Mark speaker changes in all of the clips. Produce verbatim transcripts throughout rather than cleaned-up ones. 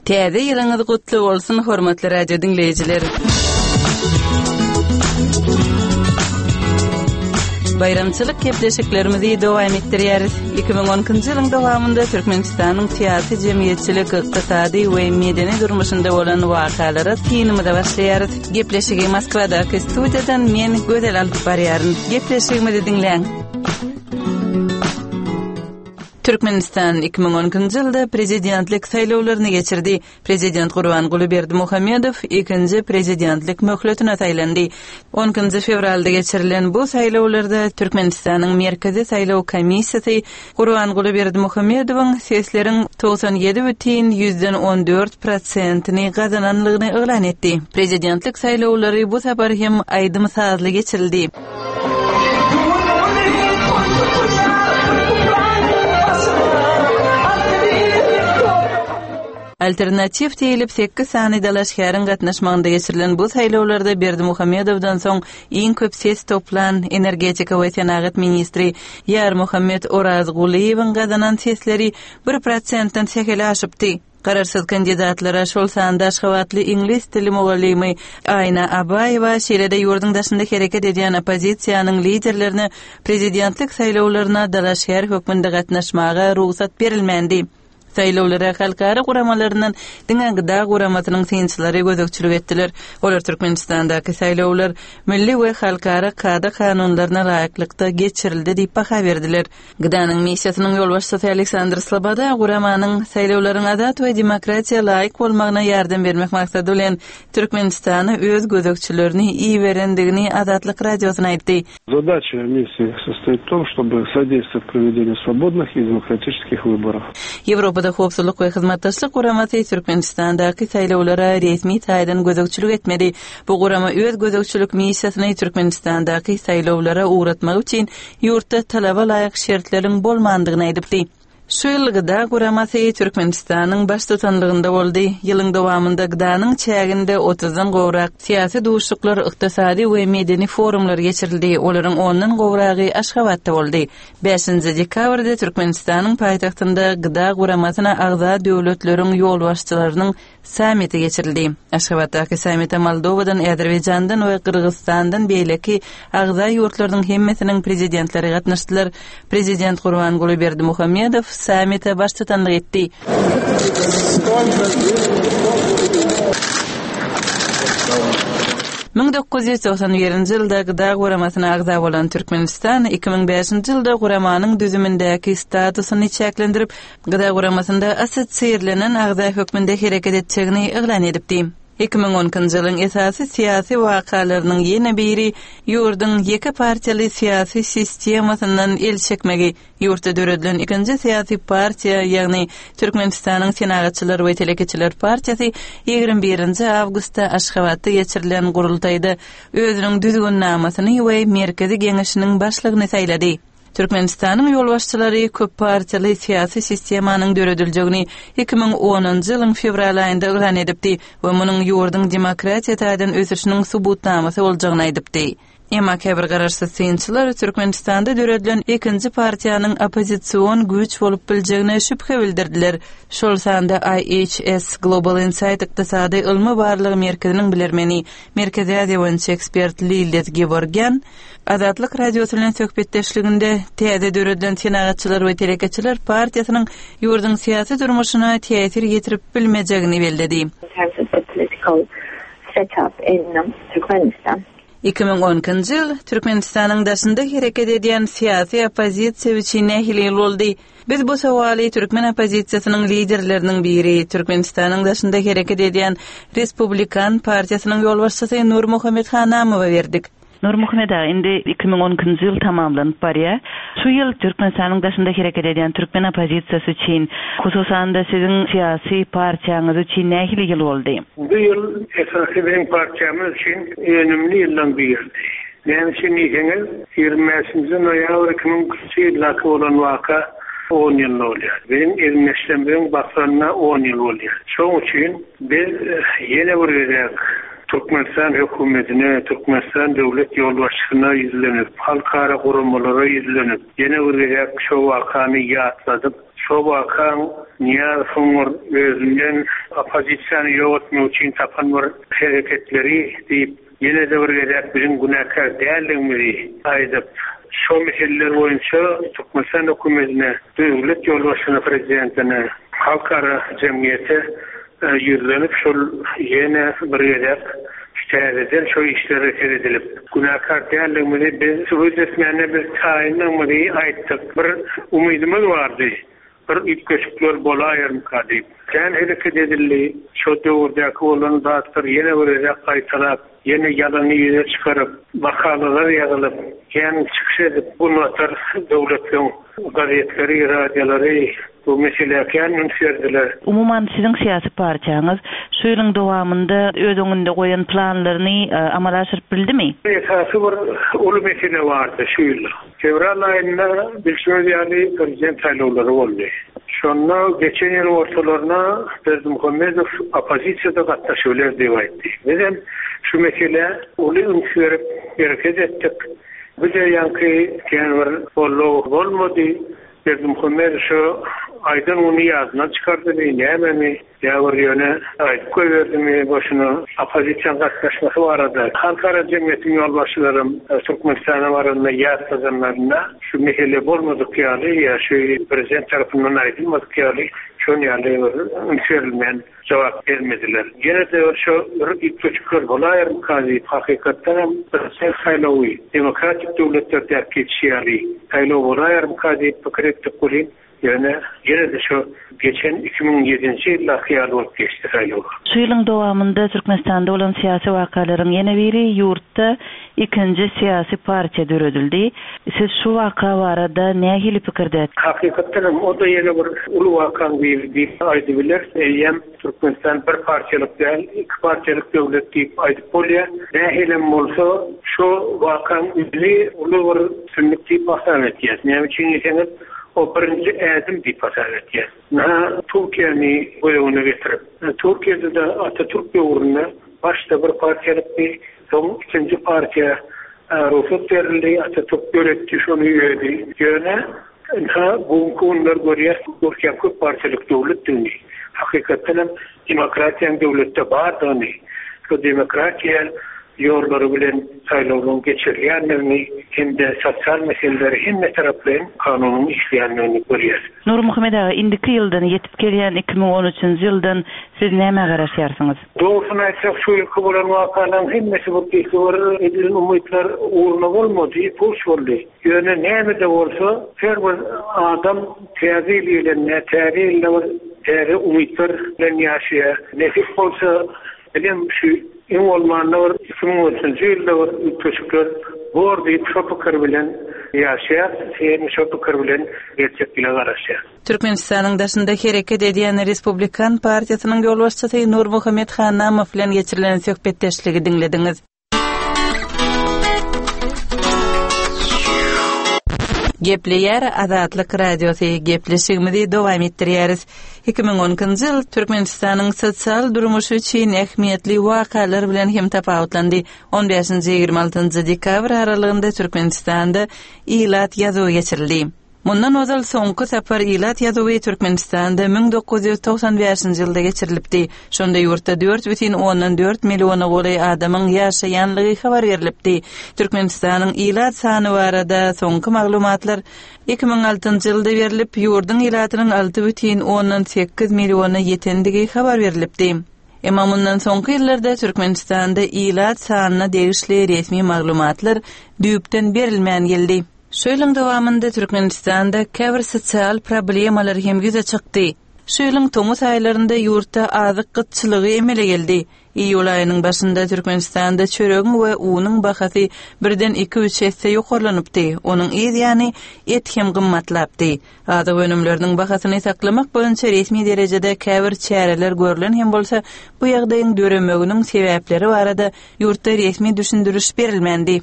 Speaker 1: Täze ýylyňyz gutly bolsun, hormatly radio diňleýjiler. Baýramçylyk gepleşiklerimizi dowam etdirýäris. iki müň on ikinji ýylyň dowamynda Türkmenistanyň syýasy, jemgyýetçilik, ykdysady we medeni durmuşynda bolan wakalara synymyza başlaýarys. Gepleşigi Moskwadaky studiýadan men Gözel alyp barýaryn. Gepleşigimizi diňläň. Türkmenistan iki müň on ikinji ýylda prezidentlik saýlawlaryny geçirdi. Prezident Gurbanguly Berdimuhamedow ikinji prezidentlik möhletine saýlandy. On ikinji fewralda geçirilen bu saýlawlarda Türkmenistanyň Merkezi saýlaw komissiýasy Gurbanguly Berdimuhamedowyň sesleriň togsan ýedi bütin ýüzden on dört prosentini gazananlygyny yglan etdi. Prezidentlik saýlawlary bu sapar hem aýdym-sazly geçirildi. Alternatiw diýilip sekiz sany dalaşgäriň gatnaşmagynda geçirilen bu saýlawlarda Berdimuhamedowdan soň iň köp ses toplan energetika we senagat ministri Ýarmuhammet Orazgulyýewiň gazanan sesleri bir prosentden sähel aşypdy. Garaşsyz kandidatlara, şol sanda Aşgabatly iňlis dili mugallymy Aýna Abaýewa, şeýle-de ýurduň daşynda hereket edýän oppozisiýanyň liderlerine prezidentlik saýlawlaryna dalaşgär hökmünde gatnaşmaga rugsat berilmändi. Saýlawlara halkara guramalaryndan diňe G D A guramasynyň synçylary gözegçilik etdiler. Olar Türkmenistandaky saýlawlar milli we halkara kada-kanunlaryna laýyklykda geçirildi diýip baha berdiler. G D A-nyň missiýasynyň ýolbaşçysy Aleksandr Sloboda guramanyň saýlawlaryň azat we demokratiýa laýyk bolmagyna ýardam bermek maksady bilen Türkmenistana öz gözegçilerini iberendigini Azatlyk radiosyna aýtdy.
Speaker 2: Задача миссии состоит в том, чтобы содействовать проведению свободных и демократических выборов.
Speaker 1: Ýewropada howpsuzlyk we hyzmatdaşlyk guramasy Türkmenistandaky saýlawlara resmi taýdan gözegçilik etmedi. Bu gurama öz gözegçilik missiýasyny Türkmenistandaky saýlawlara ugratmak üçin ýurtda talaba laýyk şertleriň bolmandygyny aýdypdy. Şu ýyl G D A guramasy Türkmenistanyň baştutanlygynda boldy. Ýylyň dowamynda G D A-nyň çäginde otuzdan gowrak syýasy duşuşyklar, ykdysady we medeni forumlar geçirildi. Olaryň ondan gowragy Aşgabatda boldy. Bäşinji dekabrda Türkmenistanyň paýtagtynda G D A guramasyna agza döwletleriň ýolbaşçylarynyň sammiti geçirildi. Aşgabatdaky sammite Moldowadan, Azerbaýjandan we Gyrgyzystandan beýleki agza ýurtlarynyň hemmesiniň prezidentleri gatnaşdylar. Prezident Gurbanguly Berdimuhamedow sammite baştutanlyk etdi. Müň dokuz ýüz togsan birinji ýylda G D A guramasyna agza bolan Türkmenistan iki müň bäşinji ýylda guramanyň düzümindäki statusyny çäklendirip, G D A guramasynda assosiirlenen agza hökmünde hereket etjegini yglan edipdi. Iki müň on ikinji ýylyň esasy syýasy wakalarynyň ýene biri ýurduň ýeke partiýaly syýasy sistemasyndan el çekmegi, ýurtda döredilen ikinji syýasy partiýa, ýagny Türkmenistanyň Senagatçylar we Telekeçiler partiýasy ýigrimi birinji awgustda Aşgabatda geçirilen gurultaýda özüniň düzgünnamasyny we Merkezi Geňeşiniň başlygyny saýlady. Türkmenistanyň ýolbaşçylary köp partiýaly syýasy sistemanyň dörediljegini iki müň onunjy ýylyň fewral aýynda yglan edipdi we munuň ýurduň demokratiýa taýdan ösüşiniň subutnamasy boljagyny aýdypdy. Emma käbir garaşsyz synçylar Türkmenistanda döredilen ikinji partiýanyň oppozision güýç bolup biljegine şübhe bildirdiler. Şol sanda I H S Global Insight ykdysady ylmy barlygy merkeziniň bilermeni, Merkezi Aziýa boýunça ekspert Lillet Gevorgyan Azatlyk radiosy bilen söhbetdeşliginde täze döredilen Senagatçylar we Telekeçiler partiýasynyň ýurduň syýasy durmuşyna täsir ýetirip bilmejegini belledi.
Speaker 3: In terms of the political setup in Turkmenistan.
Speaker 1: Iki müň on ikinji ýyl Türkmenistanyň daşynda hereket edýän syýasy oppozisiýa üçin nähili ýyl boldy? Biz bu sowaly türkmen oppozisiýasynyň liderleriniň biri, Türkmenistanyň daşynda hereket edýän Respublikan partiýasynyň ýolbaşçysy Nurmuhammet Hanamowa berdik. Nurmuhammet aga, indi iki müň on ikinji ýyl tamamlanyp barýar. Şu ýyl Türkmenistanyň daşynda hereket edýän türkmen oppozisiýasy üçin, hususan-da siziň syýasy partiýaňyz üçin nähili ýyl boldy?
Speaker 2: Bu ýyl esasy biziň partiýamyz üçin önemli ýyldan birdi. Näme üçin diýseňiz, ýigrimi bäşinji noýabr iki müň ikinji ýyldaky bolan waka on ýyl bolýar. Biziň egindeşlerimiziň basanyna on ýyl bolýar. Şonuň üçin biz ýene bir gezek Türkmenistan hökümetine, Türkmenistan döwlet ýolbaşçysyna ýüzlenip, halkara guramalara ýüzlenip, ýene bir gezek şu wakany ýatladyp, Şo wakaň Nyýazowyň bir özünden oppozisiýany ýok etmek üçin tapan bir hereketleri diýip, ýene-de bir gezek biziň günäkär däldigimizi aýdyp, şo meseleler boýunça Türkmenistan hökümetine, döwlet ýolbaşçysyna, prezidentine, halkara jemgyýete ýüzlenip, şol ýene bir gezek täzeden şo işlere seredilip, günäkär däldigimizi biz subut etmäne biz taýyndygymyzy aýtdyk. Bir umydymyz bardy, bir üýtgeşikler bolaýarmyka diýip. Kän hereket edildi, şo döwürdäki bolan zatlar ýene bir gezek gaýtalap, ýene ýalany ýüze çykaryp, makalalar ýazylyp, kän çykyş edip, Günbatar döwletleriň gazetleri, radiolary bu meselä kän üns berdiler.
Speaker 1: Umuman, siziň syýasy partiýaňyz şu ýylyň dowamynda öz öňünde goýan planlaryny amala aşyryp bildimi?
Speaker 2: Esasy bir uly mesele bardy şu ýylda. Fewral aýynda bilşiňiz ýaly prezident saýlawlary boldy. Şonda geçen ýylyň ortalaryna Berdimuhamedow oppozisiýada gatnaşybiler diýip aýtdy. Bizem şu meselä uly üns berip hereket etdik. Bize ýaňky kän bir goldaw bolmady. Berdimuhamedow şu aýdan güni ýadyndan çykardymy, nämemi, ýa bir ýöne aýdyp goýberdimi boşuna oppozisiýanyň gatnaşmasy barada. Halkara jemgyýetiň ýolbaşçylarym Türkmenistana baranda ýatladanlarynda şu mesele bolmadyk ýaly, ýa şu prezident tarapyndan aýdylmadyk ýaly, şon ýaly bir üns berilmän jogap bermediler. Ýene-de bir şo bir üýtgeşikler bolaýarmyka diýip, hakykatdan hem prezident saýlawy demokratik döwletlerdäki geçişi ýaly saýlaw bolaýarmyka diýip pikir etdik welin, ýöne ýene-de şo geçen iki müň ýedinji ýyldaky ýaly bolup geçdi saýlaw.
Speaker 1: Şu ýylyň dowamynda Türkmenistanda bolan syýasy wakalaryň ýene biri ýurtda ikinji syýasy partiýa döredildi. Siz şu waka barada nähili pikirde?
Speaker 2: Hakykatdan hem o-da ýene bir uly wakaň biri diýip aýdybiler. Eýýäm Türkmenistan bir partiýalyk däl, iki partiýalyk döwlet diýip aýdyp bolýar. Nähilem bolsa şu wakaň özi uly bir üstünlik diýip hasap etýär. Näme üçin diýseňiz, o birinji ädim diýip hasap etýär. Ynha, Türkiýäni göz öňüne getirip, Türkiýede-de Atatürk döwründe başda bir partiýalykdy, soň ikinji partiýa rugsat berildi, Atatürk döretdi şony özi. Ýöne ynha bugünkü günler görýäs Türkiýäniň köp partiýalyk döwletdigini, hakykatdan hem demokratiýanyň döwletde bardygyny, şu demokratiýa ýollary bilen saýlawlaryň geçirilýändigini hem-de sosial meseleleri hemme taraplaýyn kanunyň işleýändigini görýäs.
Speaker 1: Nurmuhammet aga, indiki ýyldan ýetip gelýän iki müň on üçünji ýyldan siz nämä garaşýarsyňyz?
Speaker 2: Dogrusyny aýtsak, şu ýylky bolan wakalaryň hemmesi bir diýse bir edilen umytlar ugruna bolmady, puç boldy. Ýöne näme-de bolsa, her bir adam täze ýyl gelende, täze ýylda bir täze umytlar bilen ýaşaýar. Nesip bolsa, bilim şu iň bolmanda bir iki müň on üçünji ýylda bir üýtgeşikler bor diýip şo pikir bilen ýaşaýar, hem şo pikir bilen geljek ýyla garaşýar.
Speaker 1: Türkmenistanyň daşynda hereket edýän Respublikan partiýasynyň ýolbaşçysy Nurmuhammet Hanamow bilen geçirilen söhbetdeşligi diňlediňiz. Gepleýär Azatlyk Radiosy, gepleşigimizi dowam etdirýäris. Iki müň on ikinji ýyl Türkmenistanyň sosial durmuşy üçin ähmiýetli wakalar bilen hem tapawutlandy. On bäşinji ýigrimi altynjy dekabr aralygynda Türkmenistanda ilat ýazuwy geçirildi. Mundan ozal soňky sapar ilat ýazuwy Türkmenistanda müň dokuz ýüz togsan bäşinji ýylda geçirilipdi. Şonda ýurtda dört bütin ondan dört milliona golaý adamyň ýaşaýanlygy habar berilipdi. Türkmenistanyň ilat sany barada soňky maglumatlar iki müň altynjy ýylda berilip, ýurduň ilatynyň alty bütin ondan sekiz milliona ýetendigi habar berilipdi. Emma mundan soňky ýyllarda Türkmenistanda ilat sanyna degişli resmi maglumatlar düýpden berilmän geldi. Şu ýylyň dowamynda Türkmenistanda käbir sosial problemalar hem ýüze çykdy. Şu ýylyň tomus aýlarynda ýurtda azyk gytçylygy emele geldi. Iýul aýynyň başynda Türkmenistanda çöregiň we unuň bahasy birden iki-üç esse ýokarlanypdy. Onuň yz ýany et hem gymmatlapdy. Azyk önümleriniň bahasyny saklamak boýunça resmi derejede käbir çäreler görlen hem bolsa, bu ýagdaýyň döremeginiň sebäpleri barada ýurtda resmi düşündiriş berilmändi.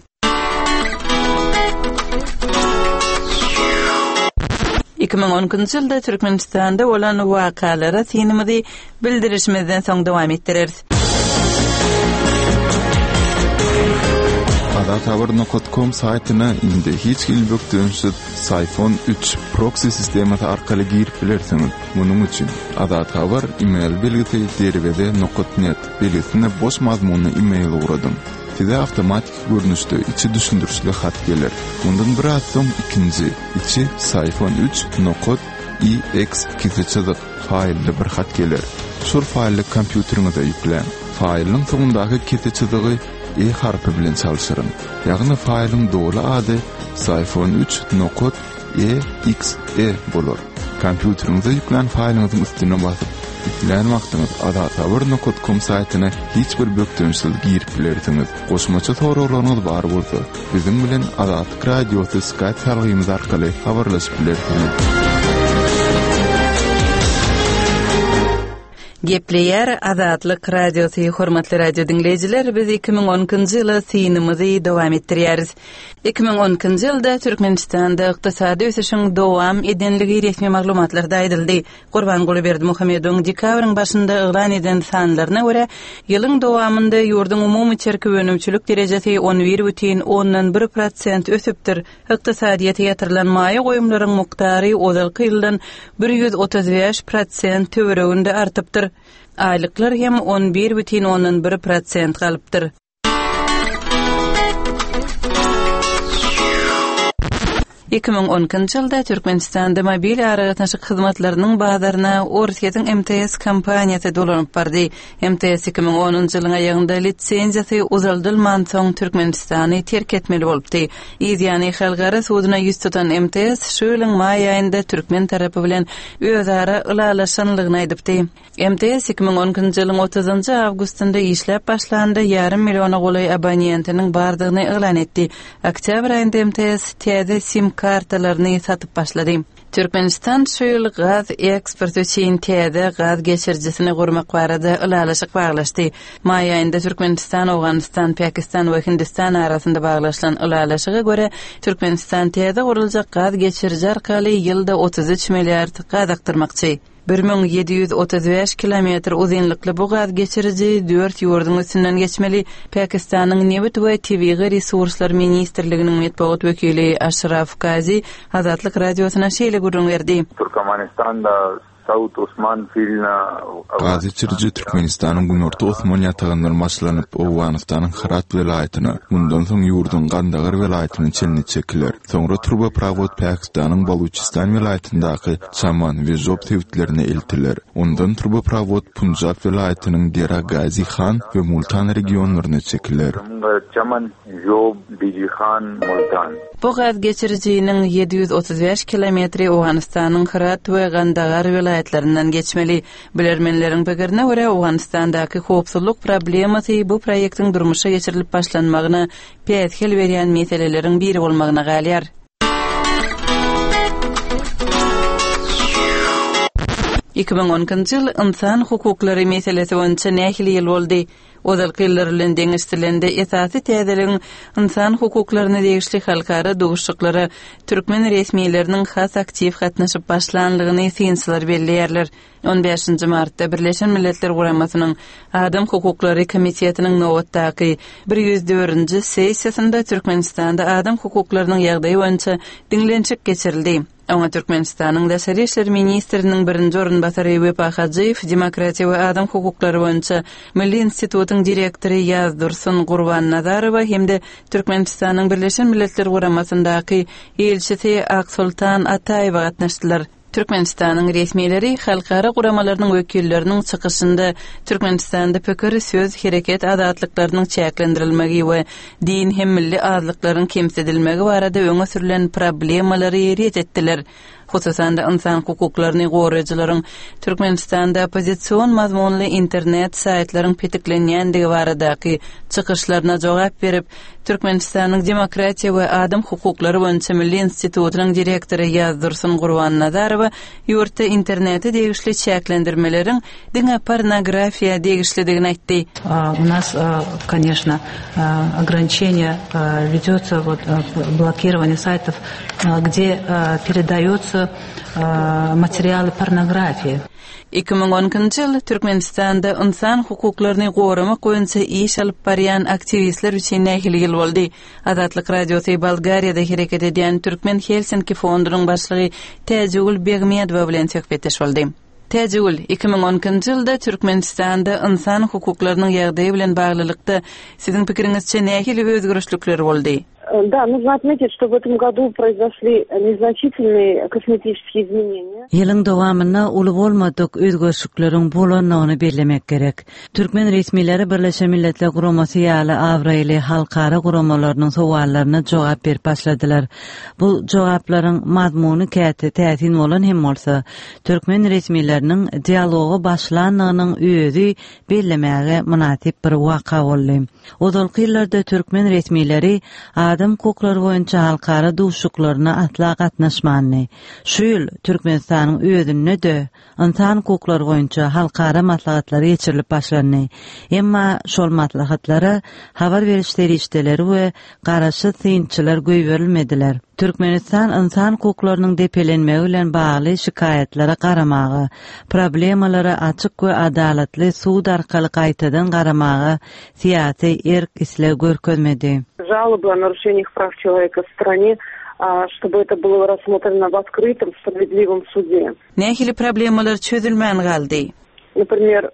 Speaker 1: Iki müň on ikinji ýylda Türkmenistanda bolan wakalara synymyzy bildirişimizden soň dowam etdireris.
Speaker 4: Azathabar nokat kom saýtyna indi hiç hili bökdençsiz Psiphon üç proksi sistemasy arkaly girip bilersiňiz. Munuň üçin Azathabar email belgisi derweze nokat net belgisine boş mazmunly email ugradyň. Size awtomatik görnüşde içi düşündirişli hat geler. Mundan biraz soň ikinji içi Psiphon üç nokat E X kese çyzyk faýlly bir hat geler. Şol faýly kompýuteriňize ýükläň. Faýlyň soňundaky kese çyzygy E harpy bilen çalşyryň. Ýagny faýlyň doly ady Psiphon üç nokat E X E bolar. Kompýuteriňize ýüklän faýlyňyzyň üstüne basyp, islän wagtyňyz azathabar nokat kom saýtyna hiç bir bökdençsiz girip bilersiňiz. Goşmaça soraglaryňyz bar bolsa, biziň bilen Azatlyk Radiosy Skype salgymyz arkaly habarlaşyp bilersiňiz.
Speaker 1: Gepleýär Azatlyk Radiosy, hormatly radio diňleýjiler, biz iki müň on ikinji ýyla synymyzy dowam etdirýäris. Iki müň on ikinji ýylda Türkmenistanda ykdysady ösüşiň dowam edenligi resmi maglumatlarda aýdyldy. Gurbanguly Berdimuhamedowyň dekabryň başynda yglan eden sanlaryna görä, ýylyň dowamynda ýurduň umumy içerki önümçilik derejesi on bir bütin ondan bir prosent ösüpdir. Ykdysadyýete ýatyrylan maýa goýumlaryň mukdary ozalky ýyldan bir ýüz otuz bäş prosent töwereginde artypdyr. Aýlyklar hem on bir bütin ondan bir prosent galypdyr. Iki müň on ikinji ýylda Türkmenistanda mobil aragatnaşyk hyzmatlarynyň bazaryna Orsýetiň M T S kompaniýasy dolanyp bardy. M T S iki müň onunjy ýylyň aýagynda lisenziýasy uzaldylman soň Türkmenistany terk etmeli bolupdy. Ýany halkara suduna ýüz tutan M T S şu ýylyň maý aýynda türkmen tarapy bilen özara ylalaşanlygyny aýdypdy. M T S iki müň on ikinji ýylyň otuzynjy awgustynda işläp başlanda ýarym milliona golaý abonentiniň bardygyny yglan etdi. Oktýabr aýynda M T S täze sim kartalaryny satyp başlady. Türkmenistan şu ýyl gaz eksporty üçin täze gaz geçirijisini gurmak barada ylalaşyk baglaşdy. Maý aýynda Türkmenistan, Owganystan, Pakistan we Hindistan arasynda baglaşylan ylalaşyga görä Türkmenistan täze guruljak gaz geçiriji arkaly ýylda otuz üç milliard gaz akdyrmakçy. Bir müň ýedi ýüz otuz bäş kilometr uzynlykly bu gaz geçiriji dört ýurduň üstünden geçmeli. Pakistanyň Nebit we Tebigy Resurslar Ministrliginiň metbugat wekili Aşraf Gazi Azatlyk Radiosyna şeýle gürrüň berdi.
Speaker 5: Türkmenistanda South Osman filine
Speaker 4: Gaz geçiriji Türkmenistanyň Günorta Osman ýatagyndan başlanyp Owganystanyň Herat welaýatyna, mundan soň ýurduň Gandagar welaýatyna çenli çekiler. Soňra turboprovod Pakistanyň Baluçistan welaýatyndaky Çaman we Job sebitlerine eltiler. Ondan turboprovod Punjab welaýatynyň Dera Gazi Han we Multan regionlaryna çekiler.
Speaker 5: Çaman, Job, Diji Han, Multan.
Speaker 1: Bu gaz geçirijiniň ýedi ýüz otuz bäş kilometri Owganystanyň Herat we Gandagar welaýatlaryndan geçmeli. Bilermenleriň pikirine görä Owganystandaky howpsuzlyk problemasy bu proýektiň durmuşa geçirilip başlanmagyna päsgel berýän meseleleriň biri bolmagyna galýar. Iki müň on ikinji ýyl insan hukuklary meselesi boýunça nähili ýyl boldy? Ozalky ýyllar bilen deňeşdirilende esasy täzeligiň insan hukuklaryna degişli halkara duşuşyklara türkmen resmileriniň has aktiw gatnaşyp başlanlygyny synçylar belleýärler. On bäşinji martda Birleşen Milletler Guramasynyň Adam Hukuklary Komitetiniň nobatdaky bir ýüz dördünji sessiýasynda Türkmenistanda adam hukuklarynyň ýagdaýy boýunça diňlenişik geçirildi. Oňa Türkmenistanyň Daşary İşler Ministriniň birinji orunbasary Wepa Hajyýew, Demokratiýa we Adam Hukuklary boýunça Milli institutyň direktory Ýazdursun Gurbannazarowa hem-de Türkmenistanyň Birleşen Milletler Guramasyndaky ilçisi Aksultan Ataýewa gatnaşdylar. Türkmenistanyň resmileri halkara guramalarynyň wekilleriniň çykyşynda Türkmenistanda pikir, söz, hereket azatlyklarynyň çäklendirilmegi we din hem milli azlyklaryň kemsidilmegi barada öňe sürülen problemalary ret etdiler. Hususan-da insan hukuklaryny goraýjylaryň Türkmenistanda oppozision mazmunly internet saýtlaryň petiklenýändigi baradaky çykyşlaryna jogap berip, Türkmenistanyň Demokratiýa we Adam Hukuklary boýunça Milli institutynyň direktory Ýazdursun Gurbannazarowa ýurtda internete degişli çäklendirmeleriň diňe pornografiýa degişlidigini aýtdy.
Speaker 6: А, у нас, а, конечно, а, ограничение, а, ведется, вот, а, блокирование сайтов, а, где, а, передается Материалы порнографии.
Speaker 1: Iki müň on ikinji ýyl Türkmenistanda ynsan hukuklaryny goramak boýunça iş alyp barýan aktiwistler üçin nähili ýyl boldy? Azatlyk Radiosy Bolgariýada hereket edýän Türkmen Helsinki fondunyň başlygy Täjigül Begmedowa bilen söhbetdeş boldy. Täjigül, iki müň on ikinji ýylda Türkmenistanda ynsan hukuklarynyň ýagdaýy bilen baglylykda siziň pikiriňizçe nähili özgerişlikler boldy?
Speaker 7: Да, нужно отметить, что в этом году произошли незначительные косметические изменения.
Speaker 8: Ýylyň dowamynda uly bolmadyk özgerişlikleriň bolandygyny bellemek gerek. Türkmen resmileri Birleşen Milletler Guramasy ýaly abraýly halkara guramalarynyň sowallaryna jogap berip başladylar. Bu jogaplaryň mazmuny käte täsin bolan hem bolsa, türkmen resmileriniň dialogy başlandygynyň özi bellemäge mynasyp bir waka boldy. Ozalky ýyllarda türkmen resmileri adam hukuklary boýunça halkara duşuklaryna asla gatnaşmandy. Şu ýyl Türkmenistanyň özünde-de ynsan hukuklary boýunça halkara maslahatlary geçirilip başlandy. Emma şol maslahatlara habar beriş serişdeleri we garaşsyz synçylar goýberilmediler. Türkmenistan ynsan hukuklarynyň depelenmegi bilen bagly şikaýatlara garamaga, problemalara açyk we adalatly sud arkaly gaýtadan garamaga syýasy erk isleg görkezmedi.
Speaker 7: Жалобы о нарушениях прав человека в стране, чтобы это было рассмотрено в открытом, справедливом суде.
Speaker 1: Nähili problemalar çözülmän galdy?
Speaker 7: Например,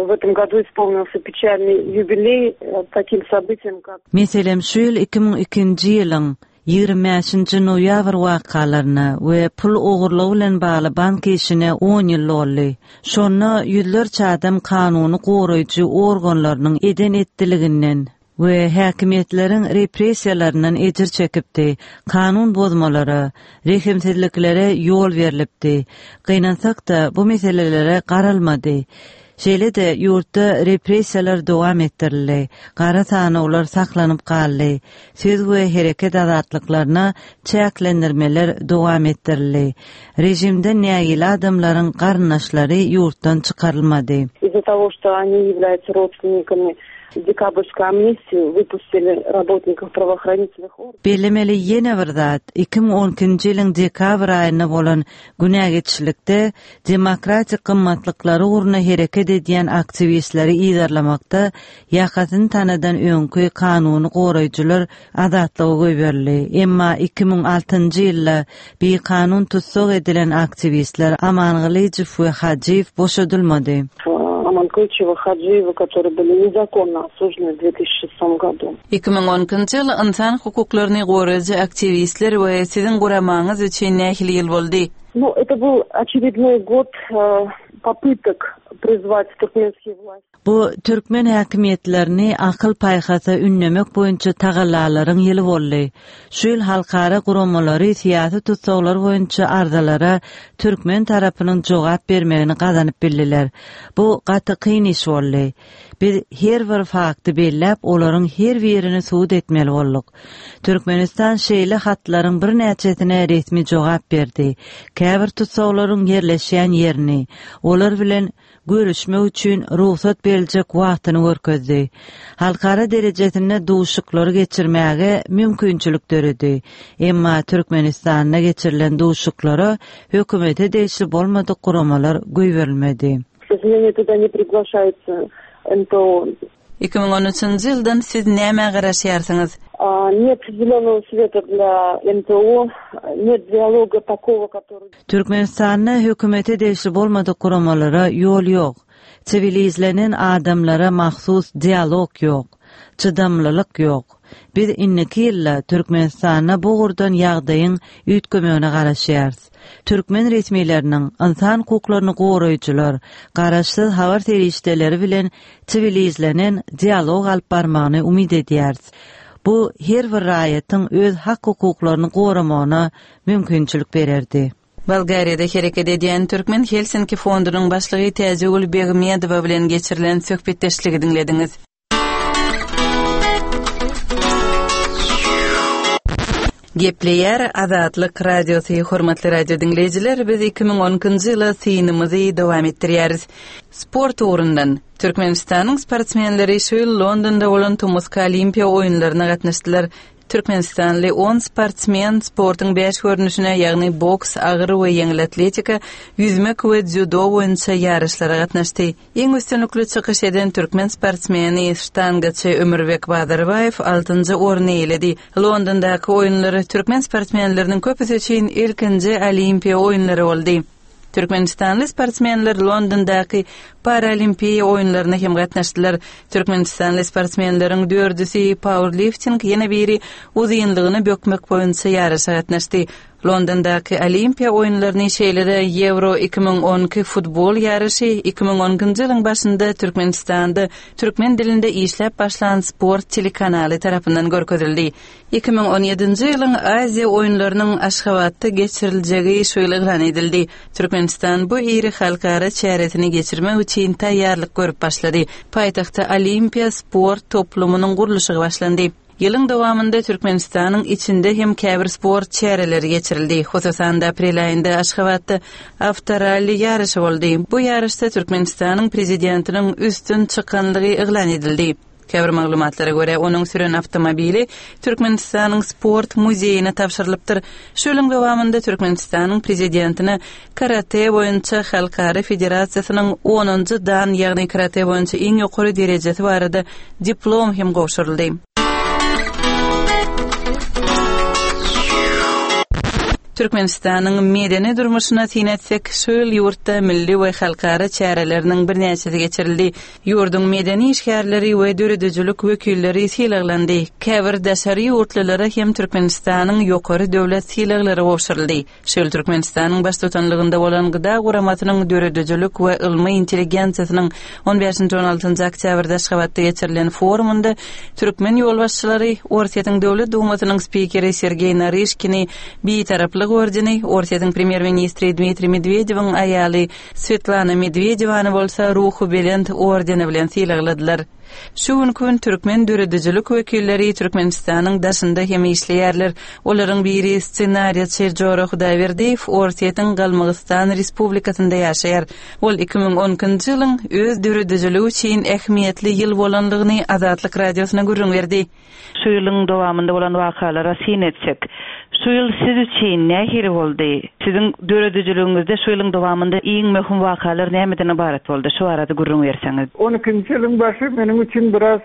Speaker 7: в этом году исполнился печальный юбилей таким событием, как
Speaker 8: Meselem, şu ýyl iki müň ikinji ýylyň ýigrimi bäşinji noýabr wakalaryna we pul ogurlygy bilen bagly bank işine on ýyl boldy. Şonda ýüzlerçe adam kanuny goraýjy organlarynyň eden etdiliginden we häkimiýetleriň repressiýalaryndan ejir çekipdi. Kanun bozmalara, rehimsizliklere ýol berilipdi. Gynansak-da bu meselelere garalmady. Şeýle-de ýurtda repressiýalar dowam etdirildi. Gara sanawlar saklanyp galdy. Söz we hereket azatlyklaryna çäklendirmeler dowam etdirildi. Rejimden nägile adamlaryň garyndaşlary ýurtdan çykarylmady.
Speaker 7: Из-за того, что они являются родственниками декабрьской амнистии, выпустили работников правоохранительных органов.
Speaker 8: Bellemeli ýene bir zat, iki müň on ikinji ýylyň dekabr aýynda bolan günä geçilikde demokratik gymmatlyklary ugruna hereket edýän aktiwistleri yzarlamakda ýakasyny tanadan öňki kanuny goraýjylar azatlyga goýberildi. Emma iki müň altynjy ýylda bikanun tussag edilen aktiwistler Amangylyjow we Hajiýew boşadylmady.
Speaker 7: Аманкылычева, Хаджиева, которые были незаконно осуждены в две тысячи шестом году.
Speaker 1: Iki müň on ikinji ýyl ynsan hukuklaryny goraýjy aktiwistler we siziň guramaňyz üçin nähili ýyl boldy?
Speaker 7: Ну, это был очередной год, э, попыток призвать туркменские власти.
Speaker 8: Bu türkmen häkimiýetlerini akyl paýhasa ünlemek boýunça tagallalaryň ýyly boldy. Şu ýyl halkara guramalary syýasy tutsaglar boýunça arzalara türkmen tarapynyň jogap bermegini gazanyp bildiler. Bu gaty kyn iş boldy. Biz her bir fakty belläp, olaryň her birini subut etmeli bolduk. Türkmenistan şeýle hatlaryň birnäçesine resmi jogap berdi. Käbir tutsaglaryň ýerleşýän ýerini, olar bilen görüşmek üçin rugsat beriljek wagtyny görkezdi. Halkara derejesinde duşuklary geçirmäge mümkinçilik döredi. Emma Türkmenistanda geçirilen duşuklara hökümete degişli bolmadyk guramalar goýberilmedi.
Speaker 7: К сожалению, туда не приглашаются Н П О.
Speaker 1: Iki müň on üçünji ýyldan siz näme garaşýarsyňyz?
Speaker 7: А, нет зеленого света для Н П О, нет диалога такого, который
Speaker 8: Türkmenistanda hökümete degişli bolmadyk guramalara ýol ýok. Siwilizlenen adamlara mahsus dialog ýok. Çydamlylyk ýok. Biz indiki ýylda Türkmenistanda bu ugurdan ýagdaýyň üýtgemegine garaşýarys. Türkmen resmileriniň ynsan hukuklaryny goraýjylar, garaşsyz habar serişdeleri bilen siwilizlenen dialog alyp barmagyny umyt edýäris. Bu her bir raýatyň öz hak hukuklaryny goramagyna mümkinçilik bererdi.
Speaker 1: Bolgariýada hereket edýän Türkmen Helsinki fondunyň başlygy Täjigül Begmedowa bilen geçirilen söhbetdeşligi diňlediňiz. Gepleýär Azatlyk Radiosy, hormatly radio diňleýjiler, biz iki müň on ikinji ýyla synymyzy dowam etdirýäris. Sport ugrundan Türkmenistanyň sportsmenleri şu ýyl Londonda bolan Tomusky Olimpiýa oýunlaryna gatnaşdylar. Türkmenistanly on sportsmen sportuň bäş görnüşine, ýagny boks, agyr we ýeňil atletika, ýüzmek we dzýudo boýunça ýaryşlara gatnaşdy. Iň üstünlikli çykyş eden türkmen sportsmeni ştangaçy Ömürbek Bazarbaýew altynjy orny eýeledi. Londondaky oýunlar türkmen sportsmenleriniň köpüsi üçin ilkinji Olimpiýa oýunlary boldy. Türkmenistanly sportsmenler Londondaky Paralimpiýa oýunlaryna hem gatnaşdylar. Türkmenistanly sportsmenleriň dördüsi powerlifting, ýene biri uzynlygyny bökmek boýunça ýaryşa gatnaşdy. Londondaky Olimpiýa oýunlaryny şeýle-de Ýewro iki müň on iki futbol ýaryşy iki müň on ikinji ýylyň başynda Türkmenistanda türkmen dilinde işläp başlan sport telekanaly tarapyndan görkezildi. Iki müň on ýedinji ýylyň Aziýa oýunlarynyň Aşgabatda geçiriljegi şu ýyl yglan edildi. Türkmenistan bu iri halkara çäresini geçirmek üçin taýýarlyk görüp başlady. Paýtagtda Olimpiýa sport toplumynyň gurluşygy başlandy. Ýylyň dowamynda Türkmenistanyň içinde hem käbir sport çäreleri geçirildi. Hususan da aprel aýynda Aşgabatda awtoralli ýaryşy boldy. Bu ýaryşda Türkmenistanyň prezidentiniň üstün çykanlygy yglan edildi. Käbir maglumatlara görä, onuň süren awtomobili Türkmenistanyň sport muzeýine tabşyrylypdyr. Şu ýylyň dowamynda Türkmenistanyň prezidentine Karate boýunça Halkara Federasiýasynyň onunjy dan, ýagny karate boýunça iň ýokary derejesi barada diplom hem gowşuryldy. Türkmenistanyň medeni durmuşyna syn etsek, şu ýyl ýurtda milli we halkara çäreleriniň birnäçesi geçirildi. Ýurduň medeni işgärleri we döredijilik wekilleri sylaglandy. Käbir daşary ýurtlulara hem Türkmenistanyň ýokary döwlet sylaglary gowşuryldy. Şu ýyl Türkmenistanyň baştutanlygynda bolan Gıda guramasynyň döredijilik we ylmy intelligensiýasynyň on bäşinji on altynjy oktýabrda Aşgabatda geçirilen forumynda türkmen ýolbaşçylary Orsýetiň Döwlet Dumasynyň spikeri Sergeý Naryşkini Bitaraplyk ordeni, Orsýetiň premýer-ministri Dmitriý Medwedewiň aýaly Svetlana Medwedewany bolsa Ruhubelent ordeni bilen sylagladylar. Şu günki gün türkmen döredijilik wekilleri Türkmenistanyň daşynda hem işleýärler. Olaryň biri ssenariýaçy Jora Hudaýberdiýew Orsýetiň Galmygystan Respublikasynda ýaşaýar. Ol iki müň on ikinji ýylyň öz döredijiligi üçin ähmiýetli ýyl bolanlygyny Azatlyk radiosyna gürrüň berdi.
Speaker 6: Şu ýylyň dowamynda bolan wakalara syn etsek, şu ýyl siz üçin nähili boldy? Siziň döredijiligiňizde şu ýylyň dowamynda iň möhüm wakalar nämeden ibarat boldy? Şu arada gürrüň berseňiz.
Speaker 9: On ikinji ýylyň başy meniň üçin biraz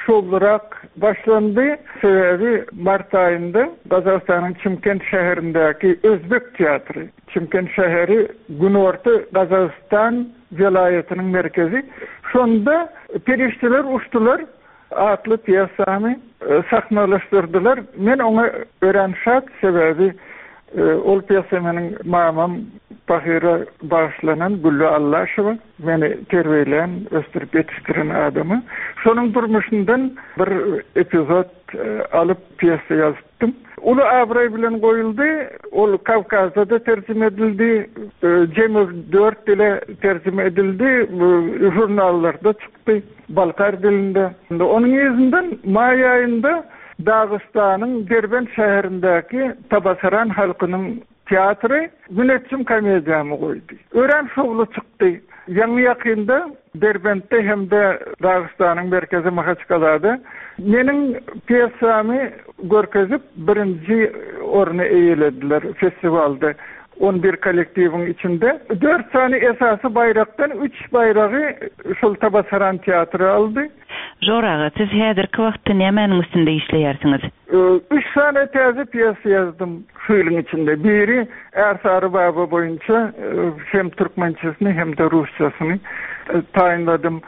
Speaker 9: şowlurak başlandy. Sebäbi mart aýynda Gazagystanyň Çimkent şäherindäki Özbek teatry, Çimkent şäheri Günorta Gazagystan welaýatynyň merkezi. Şonda Perişdeler uçdular atly pýesany, e, sahnalaşdyrdylar. Men oňa örän şat, sebäbi, e, ol pýesa meniň mamam Bahira bağışlanan Güllü Allaşowa, meni terbiýelän, ösdürip ýetişdiren adamy. Şonuň durmuşyndan bir epizod, e, alyp pýesa ýazypdym. Uly abraý bilen goýuldy, ol Kawkazda da terjime edildi, e, jemi dört dile terjime edildi, bu jurnallarda çykdy, Balkar dilinde. Onuň ýüzünden maý aýynda Dagystanyň Derbent şäherindäki Tabasaran halkynyň teatry Müneçjim komediýamy goýdy. Örän şowly çykdy. Ýaňy ýakynda Derbentde hem de Dagystanyň merkezi Mahaçkalada meniň pýesamy görkezip birinji orny eýelediler festiwalda. On bir kollektiwiň içinde dört sany esasy baýrakdan üç baýragy şol Tabasaran teatry aldy.
Speaker 6: Jora aga, siz häzirki wagtda nämäniň üstünde işleýärsiňiz?
Speaker 9: Ee, üç sany täze pýesa ýazdym şu ýylyň içinde. Biri Ärsary Baba boýunça, e, hem türkmençesini hem de rusçasyny, e, taýynladym.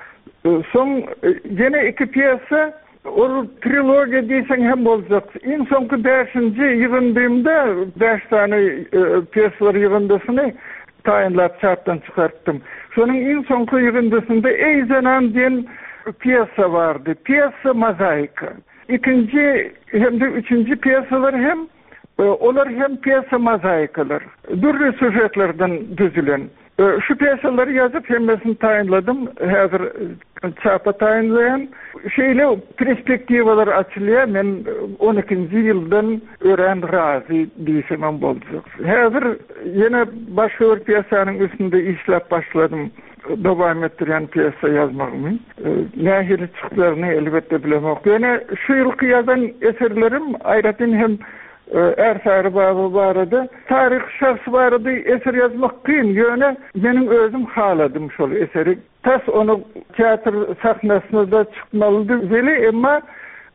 Speaker 9: E, soň, e, ýene iki pýesa, ol trilogiýa diýseň hem boljak. Iň soňky bäşinji ýygyndymda bäş sany, e, pýesalar ýygyndysyny taýynlap çapdan çykartdym. Şonuň iň soňky ýygyndysynda Ey zenan diýen pýesa bardy. Pýesa mozaika. Ikinji hem de üçünji pýesalar hem, e, olar hem pýesa mozaikalar. Dürli süžetlerden düzülen. E, şu pýesalary ýazyp hemmesini taýynladym. Häzir çapa taýynlaýan. Şeýle perspektiwalar açylýar. Men on ikinji ýyldan örän razy diýsemem boljak. Häzir ýene başga bir pýesanyň üstünde işläp başladym. Dowam etdirýän pýesa ýazmagymy. Nähili çyklaryny elbetde bilemok. Ýöne şu ýylky ýazan eserlerim aýratyn hem Ärsary baba barada, taryhy şahs barada eser ýazmak kyn, ýöne meniň özüm haladym şol eseri. Tas ony teatr sahnasyna-da çykmalydy weli, emma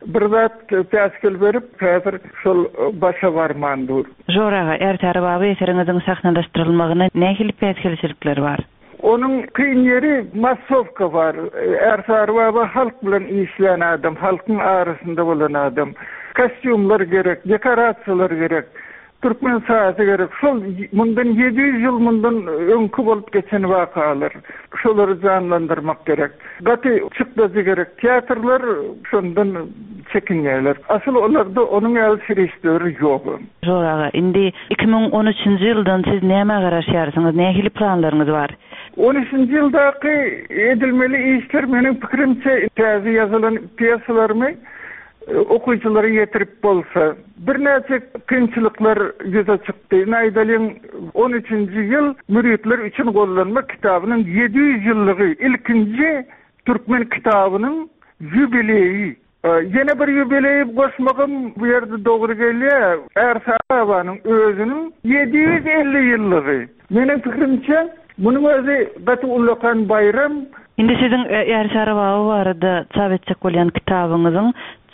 Speaker 9: bir zat päsgel berip, häzir şol başa barman dur.
Speaker 6: Žora aga, Ärsary baba eseriňiziň sahnalaşdyrylmagyna nähili päsgelçilikler bar?
Speaker 9: Onuň kyn ýeri massowka bar. Ärsary baba halk bilen işleýän adam, halkyň arasynda bolan adam. Kostýumlar gerek, dekorasiýalar gerek, türkmen sazy gerek. Şol mundan ýedi ýüz ýyl mundan öňki bolup geçen wakalar. Şolary janlandyrmak gerek. Gaty çykdajy gerek. Teatrlar şondan çekinýärler. Asyl olarda onuň ýaly serişdeler ýok.
Speaker 6: Žora aga, indi iki müň on üçünji ýyldan siz nämä garaşýarsyňyz, nähili planlaryňyz bar?
Speaker 9: On üçünji ýyldaky edilmeli işler meniň pikirimçe täze ýazylan pýesalarymy okyjylara ýetirip bolsa, birnäçe kynçylyklar ýüze çykdy. Ine aýdalyň, on üçünji ýyl Müritler üçin gollanma kitabynyň ýedi ýüz ýyllygy, ilkinji türkmen kitabynyň ýubileýi. Ýene bir ýubileý goşmagym bu ýerde dogry gelýär. Ärsary babanyň özüniň ýedi ýüz elli ýyllygy. Meniň pikirimçe, munuň özi gaty ullakan baýram.
Speaker 6: Indi siziň Ärsary baba barada çap etjek bolýan kitabyňyzyň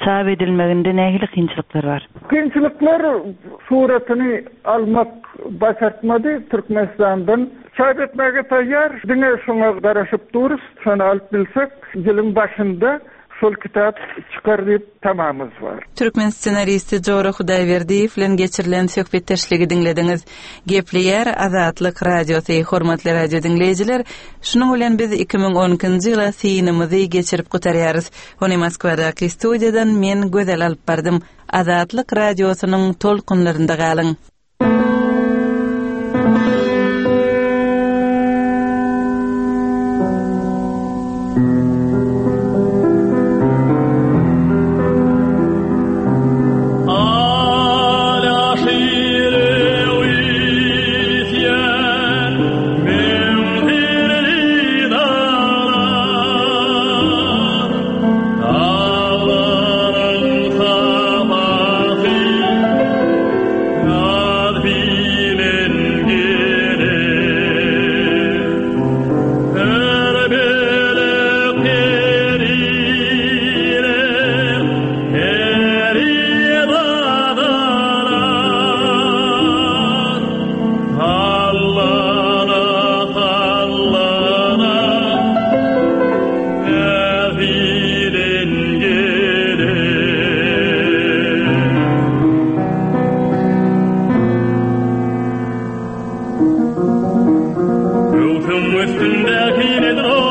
Speaker 6: çap edilmeginde nähili kynçylyklar bar?
Speaker 9: Kynçylyklar suratyny almak başartmady Türkmenistandan. Çap etmäge taýýar, diňe şoňa garaşyp durus, şony alyp bilsek, ýylyň başynda şol kitap çykar diýip tamamyz bar.
Speaker 1: Türkmen ssenaristi Jora Hudaýberdiýew bilen geçirilen söhbetdeşligi diňlediňiz. Gepleýär Azatlyk Radiosy, hormatly radio diňleýjiler, şunuň bilen biz iki müň on ikinji ýyla synymyzy geçirip gutarýarys. Ony Moskwadaky studiýadan men Gözel alyp bardym. Azatlyk Radiosynyň tolkunlarynda galyň.
Speaker 10: Üstündeki nedir o?